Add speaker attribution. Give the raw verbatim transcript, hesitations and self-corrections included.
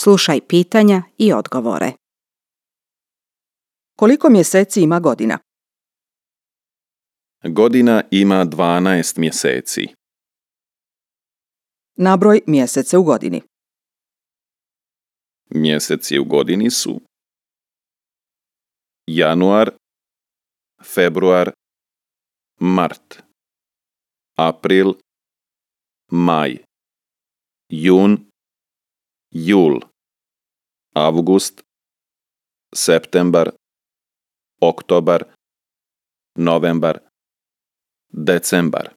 Speaker 1: Slušaj pitanja i odgovore.
Speaker 2: Koliko mjeseci ima godina?
Speaker 3: Godina ima dvanaest mjeseci.
Speaker 2: Nabroj mjesece u godini.
Speaker 3: Mjeseci u godini su januar, februar, mart, april, maj, jun, jul, avgust, septembar, oktobar, novembar, decembar.